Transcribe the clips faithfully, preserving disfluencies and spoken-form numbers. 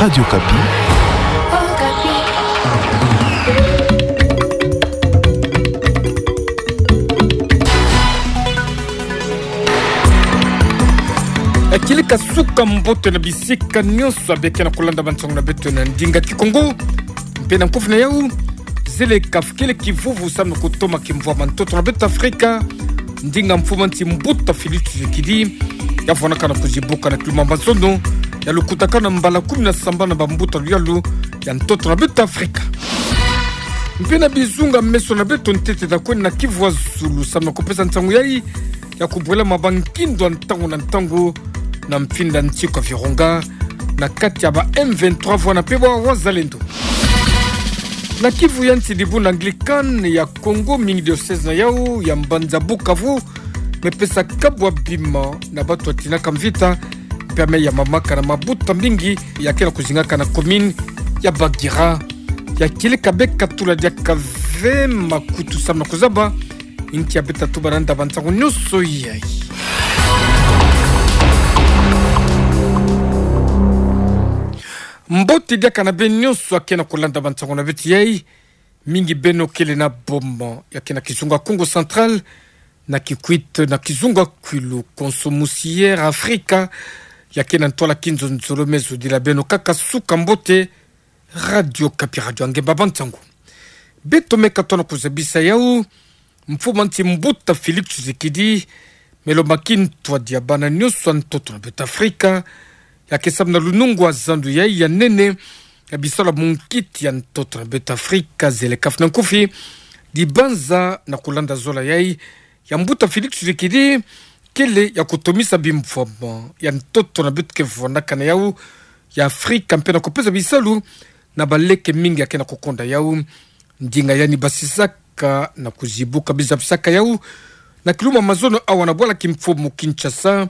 Radio Okapi. Ekilika suka mbote na bisika nyonso ya bikena kulanda bansangu na beto na ndinga Kikongo. Mpe na nkufi na yau, zele kafukele kivuvu samu na kutoma kimvwama ntoto na beto Afrika. Ndinga mfumu nsi mbuta Félix Tshisekedi ya vwanakana kuzibuka na kilumbu ya mazono ya lukutakanu na mbala kumi na sambanu na bambuta luyalu ya ntoto na beto Afrika. Mpe na bizunga meso na beto ntete ta kwenda na Kivu ya zulu samu na kupesa nsangu yai ya kubwelama bankindo ya ntangu na ntangu na mfinda nsi kwa Virunga na kati ya ba M vingt-trois vwana mpe ba Wazalendo. Na Kivu ya nsi, dibundu Anglican ya Kongo, mingi diocèse na yau ya mbanza Bukavu, mepesa kabwa bima na bato ya tinaka mvita, mpe ya mamaka na mabuta mingi ya kena kuzingaka na commune ya Bagira. Ya kileka beka tula diaka ve makutu samu na kuzaba inki ya beta tuba na nda bansangu nyonso yai. Mbote diaka na beno nyonso ya kena kulanda bansangu na beto yai, mingi beno kele na boma ya kena kizunga Kongo Central, na Kikwit, na kizunga Kwilu, konso musi ya Afrika ya kena ntwala kinzonzolo, me zodila beno kaka suka mbote. Radio Okapi, radio ya ngemba bansangu. Beto meka tona kuzabisa yau, mfumu nsi mbuta Félix Tshisekedi me lomba kintwadi ya bana nyonso ya ntoto na beto Afrika ya ke samu na lunungu ya zandu yai ya nene ya bisalu ya munkiti ya ntoto na beto Afrika, zele kafukele na nkufi dibanza na kulanda zola yai ya mbuta Félix Tshisekedi kele ya kutomisa bimvwama ya ntoto na beto ke vwanakana na yau ya Afrika, mpe na kupesa bisalu na baleke mingi ya kena kukonda yau. Ndinga yandi basisaka na kuzibuka biza bisaka yau na kilumbu ya mazono awa na bwala kimfumu Kinshasa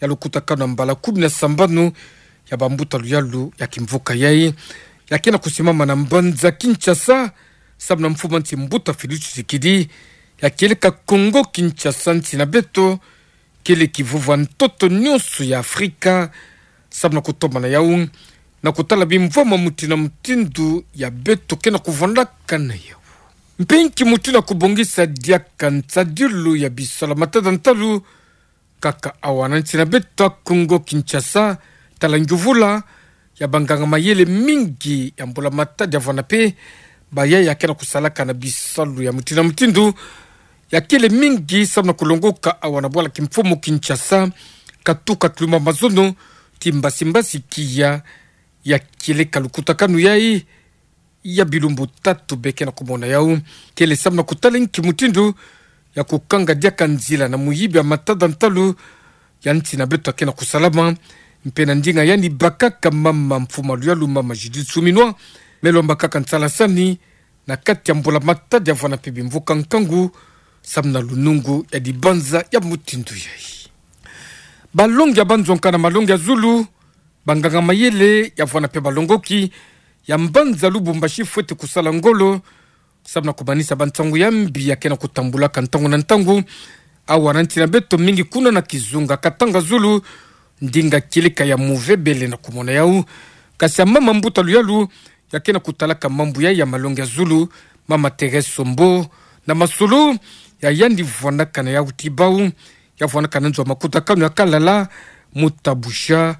ya lukutakanu na mbala kumi na sambanu ya bambuta luyalu ya kimvuka yai ya kena kusimama na mbanza Kinshasa, samu na mfumu nsi mbuta Félix Tshisekedi ya kieleka Kongo Kinshasa, nsi na beto kele kivuvu ya ntoto nyonso ya Afrika, samu na kutoma na yau na kutala bimvwama mutindu na mutindu ya beto kena kuvwandaka na yau. Mpe nki mutindu ya kubongisa diaka nsadilu ya bisalu ya matada ntalu kaka awa na nsi na beto ya Kongo Kinshasa, tala ngiuvula ya banganga mayele mingi ya mbula matadi ya vwanda mpe bayaya ya kena kusalaka na bisalu ya mutindu na mutindu ya kele mingi samu na kulongoka awa na bwala kimfumu Kinshasa, katuka kilumbu ya mazono ti mbasi mbasi kiya ya kieleka lukutakanu yai ya bilumbu tatu beke na kumona yau, kele samu na kutala nki mutindu ya kukanga diaka nzila na muyibi ya matada ntalu ya nsi na beto ya kena kusalama. Mpe na ndinga yandi bakaka mama mfumu ya luyalu, mama Judith Suminwa, me lomba kaka nsalasani na kati ya mbula matadi ya vwanda mpe bimvuka nkangu samu na lunungu ya dibanza ya mutindu yai. Balongi ya banzonka na malongi ya zulu, banganga mayele ya vwanda mpe balongoki ya mbanza Lubumbashi fwete kusala ngolo samu na kumanisa bansangu ya mbi ya kena kutambulaka ntangu na ntangu awa na nsi na beto, mingi kuna na kizunga Katanga Zulu, ndinga kieleka ya Muvebele na kumona yau. Kasi ya mama mbuta luyalu ya kena kutalaka mambu yai ya malongi ya zulu, mama Thérèse Sombo, na masolo ya yandi vwandaka na yau ti bau, ya vwandaka na nzo ya makutakanu ya Kalala, Mutabusha,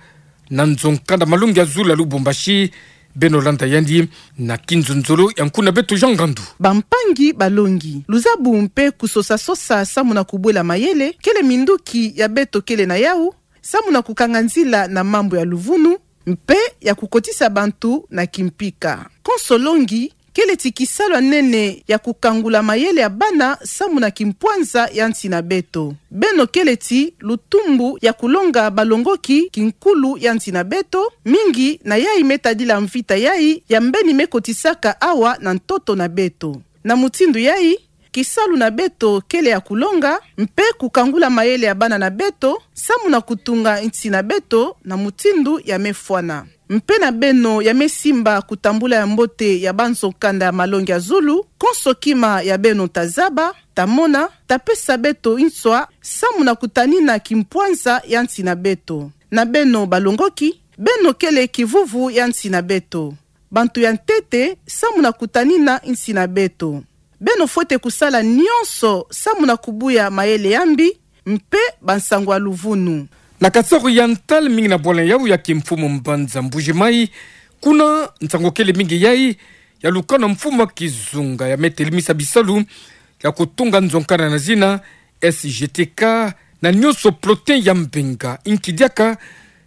na nzo nkanda malongi ya zulu ya Lubumbashi. Beno landa yandi na kinzonzolo ya nkuna beto Jean Ngandu. Bampangi balongi, luzabu mpe kusosa-sosa samu na kubwela mayele kele minduki ya beto kele na yau samu na kukanga nzila na mambu ya luvunu mpe ya kukotisa bantu na kimpika. Konso longi kele ti kisalu ya nene ya kukangula mayele ya bana samu na kimpwanza ya nsi na beto. Beno kele ti lutumbu ya kulonga balongoki kinkulu ya nsi na beto, mingi na yai me tadila mvita yai ya mbeni me kotisaka awa na ntoto na beto. Na mutindu yai, kisalu na beto kele ya kulonga mpe kukangula mayele ya bana na beto samu na kutunga nsi na beto na mutindu ya me fwana. Mpe na beno ya me simba kutambula ya mbote ya banzo nkanda ya malongi ya zulu, konso kima ya beno ta zaba, ta mona, ta pesa beto nswa samu na kutanina kimpwanza ya nsi na beto. Na beno balongoki, beno kele kivuvu ya nsi na beto. Bantu ya ntete samu na kutanina nsi na beto. Beno fwete kusala nionso samu na kubuya mayele ya mbi mpe bansango ya luvunu. Na Kasaï Oriental, mingi na bwala yau ya kimfumu mbanza Mbuji-Mayi, kuna nsango kele mingi yai ya lukanu mfumu a kizunga ya me telimisa bisalu ya kutunga nzo nkanda na zina S G T K, na nionso protein ya mbenga. Inki diaka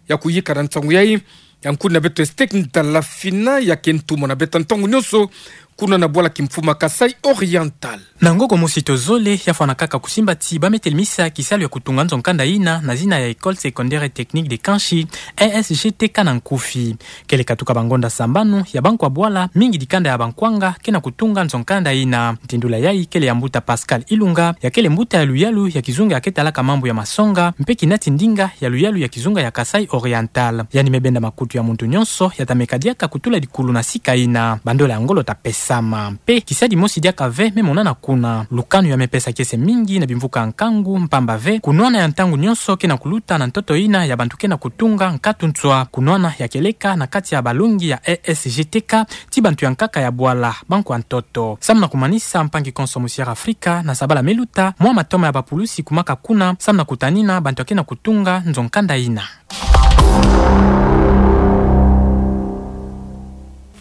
ya kuyika na nsango yai, ya nkundi na beto Estek Ndala Fina, ya ke ntumwa na beto ntangu nionso, kuna na bwala kimfumu a Kasaï Oriental. Na ngoko mosi to zole, ya fwana kaka kusimba ti ba me telimisa kisalu ya kutunga nzo nkanda ina na zina ya École Secondaire Technique de Kanchi, E S G T K na nkufi. Kele katuka bangonda sambanu ya bankwa bwala, mingi dikanda ya bankwanga ke na kutunga nzo nkanda ina. Ntindula yai kele ya mbuta Pascal Ilunga, ya kele mbuta ya luyalu ya kizunga ya ke talaka mambu ya masonga, mpe kinati ndinga ya luyalu ya kizunga ya Kasaï Oriental. Yandi me benda makutu ya muntu nionso ya ta meka diaka kutula dikulu na sika ina. Bandola ya ngolo ta pesama. Mpe kisadi mosi diaka ve me monana kuna. Lukanu ya me pesa kiese mingi na bimvuka ya nkangu, mpamba ve kunwana ya ntangu nionso ke na kuluta na ntoto ina ya bantu ke na kutunga nkatu nswa. Kunwana ya kieleka na kati ya balongi ya E S G T K, ti bantu ya nkaka ya bwala, bankwa ntoto. Samu na kumanisa, mpangi konso Musière Afrika, na sabala me luta mwa matoma ya bapulusi kumaka kuna, samu na kutanina bantu ya ke na kutunga nzo nkanda ina.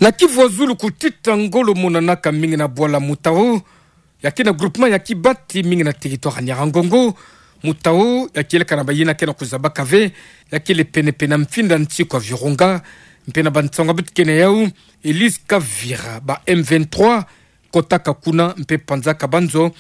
Na Kivu ya Zulu, kutita ngolo monanaka mingi na bwala Mutao, ya ke na groupement ya Kibati, mingi na territoire ya Nyiragongo. Mutao ya kieleka na bayina ke na kuzabaka ve, ya kele penepene na mfinda nsiku ya Virunga. Mpe na bansango ya beto ke na yau, Elise Kavira, ba M vingt-trois kotaka kuna mpe panzaka banzo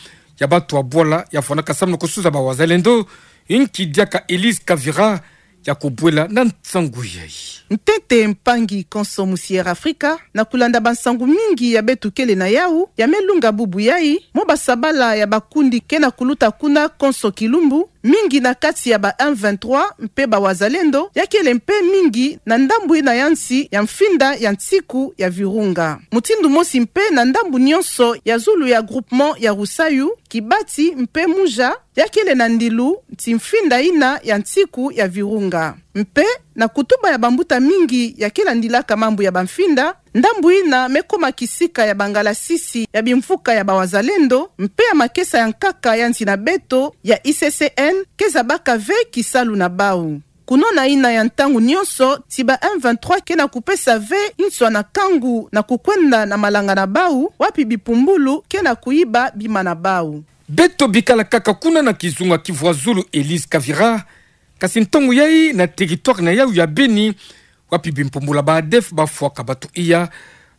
ya batu ya bwala ya fwanaka samu na kusuza ba wazalendo. Inki diaka Elise Kavira ya kubwela na nsangu yai? Ntete, mpangi konso Musière Afrika, na kulanda bansangu mingi ya beto kele na yau, ya me lunga bubu yai, mwa basabala ya bakundi ke na kuluta kuna konso kilumbu, mingi na kati ya ba M vingt-trois mpe ba wazalendo, ya kele mpe mingi na ndambu ina ya nsi ya mfinda ya nsiku ya Virunga. Mutindu mosi mpe na ndambu nionso ya zulu ya groupement ya Rusayu, Kibati mpe Muja, ya kele na ndilu ti mfinda ina ya nsiku ya Virunga. Mpe na kutuba ya bambuta mingi ya ke landilaka mambu ya bamfinda, ndambu ina me kuma kisika ya bangalasisi ya bimvuka ya ba wazalendo, mpe ya makesa ya nkaka ya nsi na beto ya I C C N ke zabaka ve kisalu na bau. Kunwana ina ya ntangu nionso ti ba M vingt-trois ke na kupesa ve nswa na nkangu na kukwenda na malanga na bau, wapi bipumbulu ke na kuyiba bima na bau. Beto bikala kaka kuna na kizunga Kivu ya Zulu, Elise Kavira, kasi ntangu yai na territoire na yau ya Beni, wapi bimpumbulu ya ba ADF bafwaka batu iya.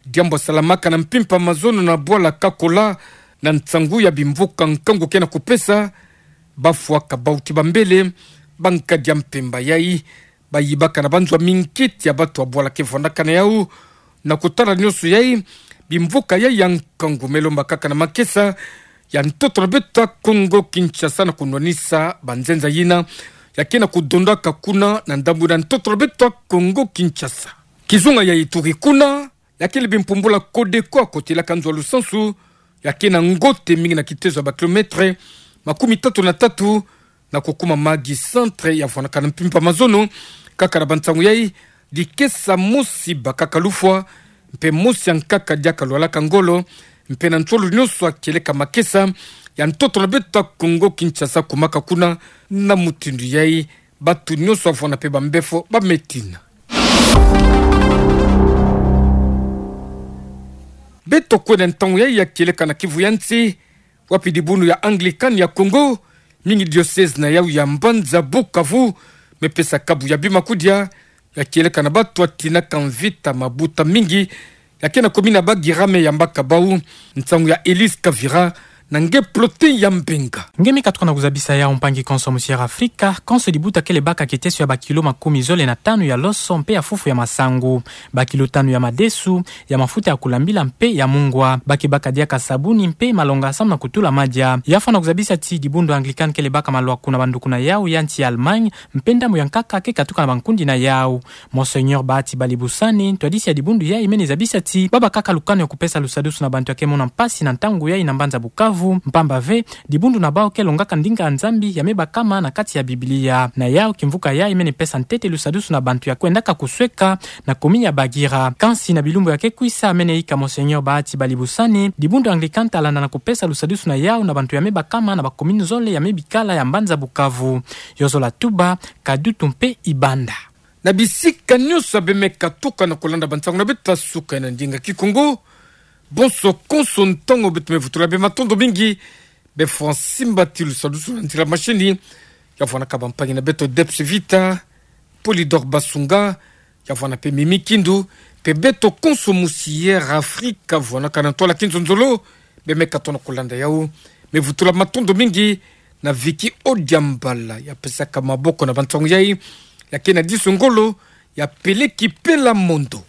Diambu ya salamaka na mpimpa mazono na bwala Kakola, na nsangu ya bimvuka nkangu ke na kupesa, bafwaka bau ti bambele, bankadi ya mpemba yai, bayibaka na banzo ya minkiti ya batu ya bwala ke vwandaka na yau. Na kutala nionso yai, bimvuka yai ya nkangu me lomba kaka na makesa ya ntoto na beto ya Kongo Kinshasa na kunwanisa banzenza yina ya ke na kudondaka kuna na ndambu na ntoto na beto ya Kongo Kinshasa. Kizunga ya Ituri kuna, ya kele bimpumbulu ya Codeco ya kotelaka nzo ya lusansu, ya ke na ngote mingi na kitezo ya ba kilomètre makumi tatu na tatu, na kukuma Maggi centre ya vwanaka na mpimpa mazono. Kaka na bansangu yai, dikesa mosi bakaka lufwa, mpe mosi ya nkaka diaka lwalaka ngolo, mpe na nsolo nionso ya kieleka makesa ya ntoto na beto ya Kongo Kinshasa kumaka kuna. Na mutindu yai, batu nionso ya vwanda mpe bambefo ba me tina. Beto kwenda ntangu yai ya kieleka na Kivu ya nsi, wapi dibundu ya Anglican ya Congo, mingi diocèse na yau ya mbanza Bukavu, me pesa kabu ya bima kudia ya kieleka na batu ya tinaka mvita mabuta mingi, ya ke na commune ya Bagira, me yambaka bau. Nsangu ya Elise Kavira, na nge Plotin ya Mbenga. Nge me katuka na kuzabisa yau, mpangi konso Musière Afrika. Konso dibuta kele baka kiteso ya ba kilo makumi zole na tanu ya loso mpe ya fufu ya masangu, ba kilo tanu ya madesu, ya mafuta ya kulambila mpe ya mungwa. Ba ke baka diaka sabuni mpe malonga samu na kutula madia. Ya fwana kuzabisa ti dibundu Anglican kele baka malwaku na banduku na yau ya nsi ya Allemagne, mpe ndambu ya nkaka ke katuka na bankundi na yau. Monseigneur Bahati Balibusane, ntwadisi ya dibundu yai, mene zabisa ti ba bakaka lukanu ya kupesa lusadusu na bantu ya ke mona mpasi na ntangu yai na mbanza Bukavu, Mpamba ve, dibundu na bau ke longaka ndinga ya Nzambi ya me bakama na kati ya Biblia. Na yau, kimvuka yayi mene pesa ntete lusadusu na bantu ya kwendaka kusweka na commune ya Bagira. Kansi na bilumbu ya ke kwisa, mene yika Monseigneur Bahati Balibusani, dibundu Anglican ta landa na kupesa lusadusu na yau na bantu ya me bakama na ba commune zole ya me bikala ya mbanza Bukavu. Yo zola tuba, Kadutu mpe Ibanda. Na bisika nyonso ya bemeka tuka na kulanda bansangu na beto ya suka na ndinga Kikongo, bonso konso ntangu beto me vutula beno matondo mingi, be Francine Mbati lusadusu na nzila machine, ya vwanaka bampangi na beto Debs Vita, Polydor Basunga, ya vwana mpe Mimi Kindu, mpe beto konso musi Air Afrique ya vwanaka na ntwala kinzonzolo, bemeka tona kulanda yau. Me vutula matondo mingi na Vicky Odiambala, ya pesaka maboko na bansangu yayi, ya ke na diso ngolo, ya peleki Pela Mondo.